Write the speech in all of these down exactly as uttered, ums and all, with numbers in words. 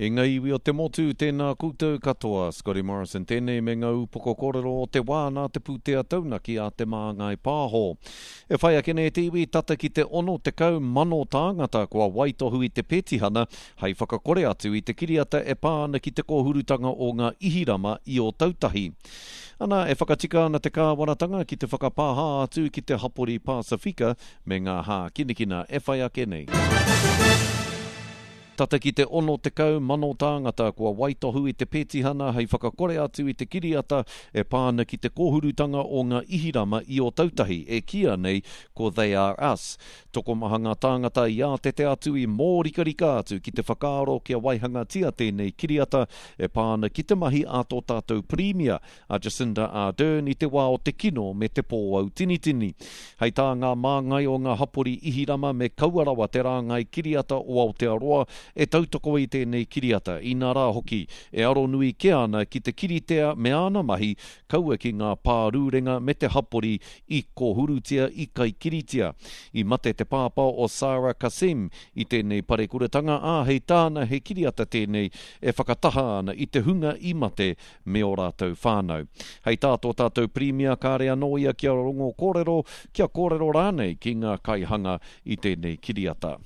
E ngā iwi o te motu, tēnā koutou katoa. Scotty Morrison tēnei me ngā upoko kōrero o te wā nā te pūtea taunaki a Te Māngai Pāho. E whai ake nei te iwi tata ki te ono tekau mano tāngata kua waitohu i te petihana hei whakakore atu i te kiriata e pā ana ki te kōhurutanga o ngā Ihirama i Ōtautahi. Ana, e whakatika ana te kāwanatanga ki te whakapāha atu ki te hapori Pasifika me ngā hākinakina e whai ake nei. Tata ki te ono tekau mano tāngata kua waitohu i te petihana hei whakakore atu i te kiriata e pā ana ki te kōhurutanga o ngā Ihirama i Ōtautahi e kīia nei ko They Are Us. Tokomaha ngā tāngata i ātete atu i mōrikarika atu ki te whakaaro kia waihangatia tēnei kiriata e pā ana ki te mahi a tō tātou Pirimia, a Jacinda Ardern i te wā o te kino me te pōautinitini. Hei tā ngā māngai o ngā hapori Ihirama me kaua rawa te rāngai kiriata o Aotearoa e tautoko i tēnei kiriata, inā rā hoki, e aronui kē ana ki te kiritea me āna mahi, kaua ki ngā pārūrenga me te hapori i kōhurutia, i kaikiritia. I mate te pāpā o Sarah Kassem i tēnei parekuratanga, ā, hei tāna he kiriata tēnei e whakataha ana i te hunga i mate me ō rātou whānau. Hei tā tō tātou Pirimia kāre anō ia kia rongo kōrero, kia kōrero rānei ki ngā kaihanga i tēnei kiriata.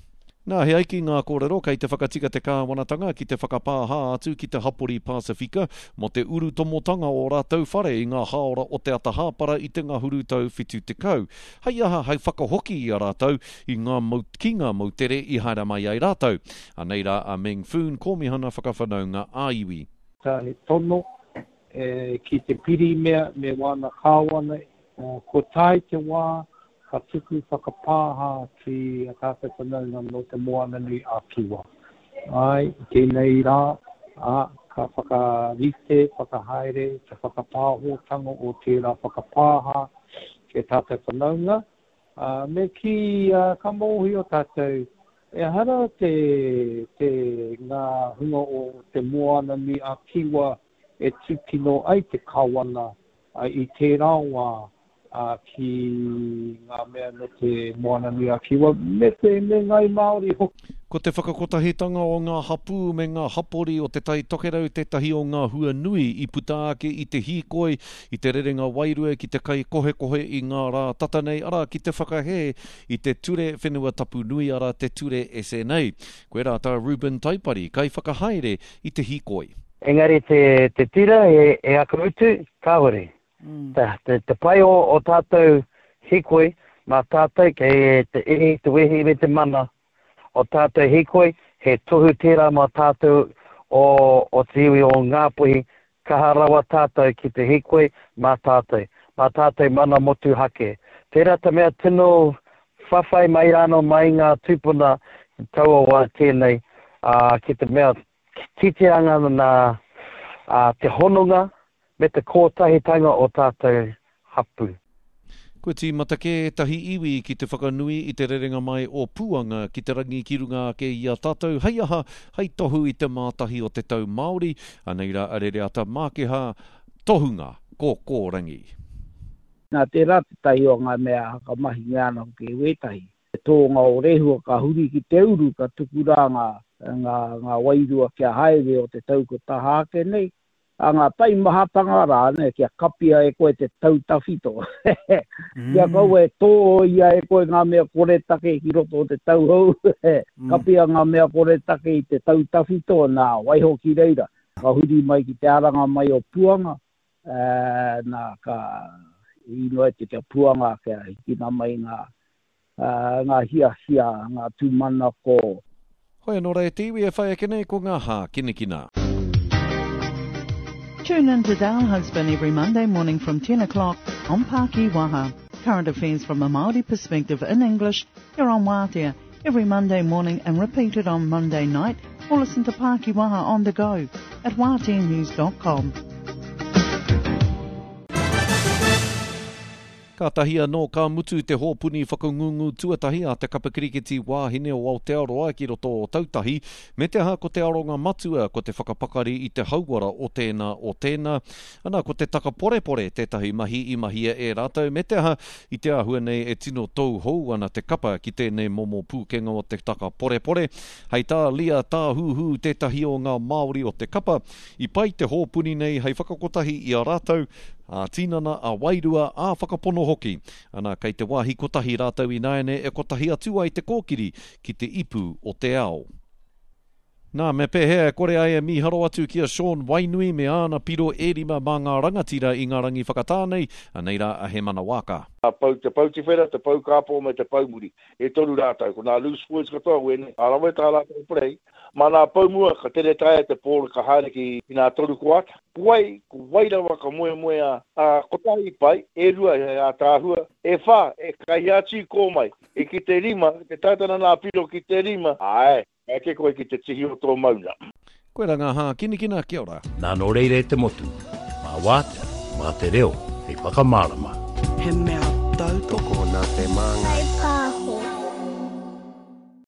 Nā, he ai ki ngā kōrero kei te whakatika te kāwanatanga ki te whakapāha atu ki te hapori Pasifika mō te urutomotanga o rātou whare i ngā hāora o te ata hāpara i te ngahuru tau whitu tekau. Hei aha, hei whakahoki i a rātou i ngā mau, ki ngā moutere i haere mai ai rātou. Anei rā a Meng Foon, Kōmihana Whakawhanaunga ā-Iwi. Ka he tono ki te Pirimia me wāna kāwana, ko tae te wā ka tuku whakapāha ki a tātou whanaunga nō Te Moananui a Kiwa. Āe, i tēnei rā, ā, ka whakarite, whakahaere te whakapāhotanga o tērā whakapāha ki a tātou whanaunga, ā, me kī, ā, ka mōhio tātou, ehara te, te, ngā hunga o Te Moananui a Kiwa e tūkino ai te kawana i tērā wā, ki ngā mea nō Te Moananui-a-Kiwa me te me Ngāi Māori hoki. Ko te whakakotahitanga o ngā hapū me ngā hapori o Te Tai Tokerau tētahi o ngā hua nui i puta ake i te hīkoi i te rerenga wairua ki te kaikohekohe i ngā rā tata nei, arā, ki te whakahē i te Ture Whenua Tapu Nui, arā, te Ture S N A. Koirā tā Reuben Taipari, kaiwhakahaere i te hīkoi. Engari te, te tira he, he aka utu, kāore. Te, te, te pai o, o tātou hīkoi, mā tātou kei te ihi, te wehi me te mana o tātou hīkoi, he tohu tērā mā tātou o, o te iwi o Ngāpuhi, kaha rawa tātou ki te hīkoi mā tātou, mā tātou mana motuhake. Tērā te mea tino whawhai mai rānō mai ngā tūpuna i taua wā tēnei, ā, ki te mea titianga nā, ā, te hononga me te kōtahitanga o tātou hapū. Kua tīmata kē ētahi iwi ki te whakanui i te rerenga mai o Puanga ki te rangi ki runga ake i a tātou, hei aha, hei tohu i te mātahi o te tau Māori, anei rā a Rereata Mākeha, tohunga kōkōrangi. Nā tērā tētahi o ngā mea hakamahingia ana hoki e wētahi. Te tōnga o Rehua ka huri ki te uru, ka tuku rā ngā, ngā, ngā wairua kia haere o te tau ko taha ake nei, a ngā taimahatanga rā, ne, kia kapia e koe te tau tawhito. Kia kaua e tōia e koe ngā mea koretake ki roto o te tau hou. Kapia ngā mea koretake i te tau tawhito, nā, waiho ki reira. Ka huri mai ki te aranga mai o Puanga, eh, nā, ka inoi te kia Puanga, kia hikina mai ngā, uh, ngā hiahia, ngā tūmanako. Hoi anō rā e te iwi e whai ake nei ko ngā hākinakina. Tune in to Dale Husband every Monday morning from ten o'clock on Pākī Waha. Current affairs from a Māori perspective in English here on Waatea every Monday morning and repeated on Monday night, or listen to Pākī Waha on the go at waatea news dot com. Kātahi anō ka mutu te hōpuni whakangungu tuatahi a te kapa kirikiti wāhine o Aotearoa ki roto o Ōtautahi, me te aha ko te aronga matua ko te whakapakari i te hauora o tēnā o tēnā. Ana ko te takaporepore tētahi mahi i mahia e rātou, me te aha i te āhua nei e tino tauhou ana te kapa ki tēnei momo pūkenga o te takaporepore. Hei tā Leah Tāhuhu tētahi o ngā Māori o te kapa, i pai te hōpuni nei hei whakakotahi i a rātou, ā-tinana, ā-wairua, ā-whakapono hoki. Ana, kei te wāhi kotahi rātou ināiane e kotahi atu ai te kōkiri ki te ipu o te ao. Nā, me pēhea e kore ai e mīharo atu ki a Sean Wainui me āna piro e rima mā ngā rangatira i ngā rangi whakatā nei, anei rā a Hemana Waaka. Ka pau te pou tiwhera, te pou kāpō me te pou muri. E toru rātou. Ko nā loose words katoa wēnei. Ka rawe tā rātou play. Mā nā pou mua ka tere taea te pōro ka haere ki nā toru koata. Ko wai, ko wai rawa ka moemoeā, ā, kotahi pai, e rua he ātaahua, e whā, e kai atu i kō mai, e ki te rima, te tautana nā piro ki te rima, āe, ka eke koe ki te tihi o tō mauna. Koira ngā hākinakina, kia ora. Nā nō reira e te motu, mā Wātea, mā te reo hei whakamārama. He mea tautoko. Tokona te māngai.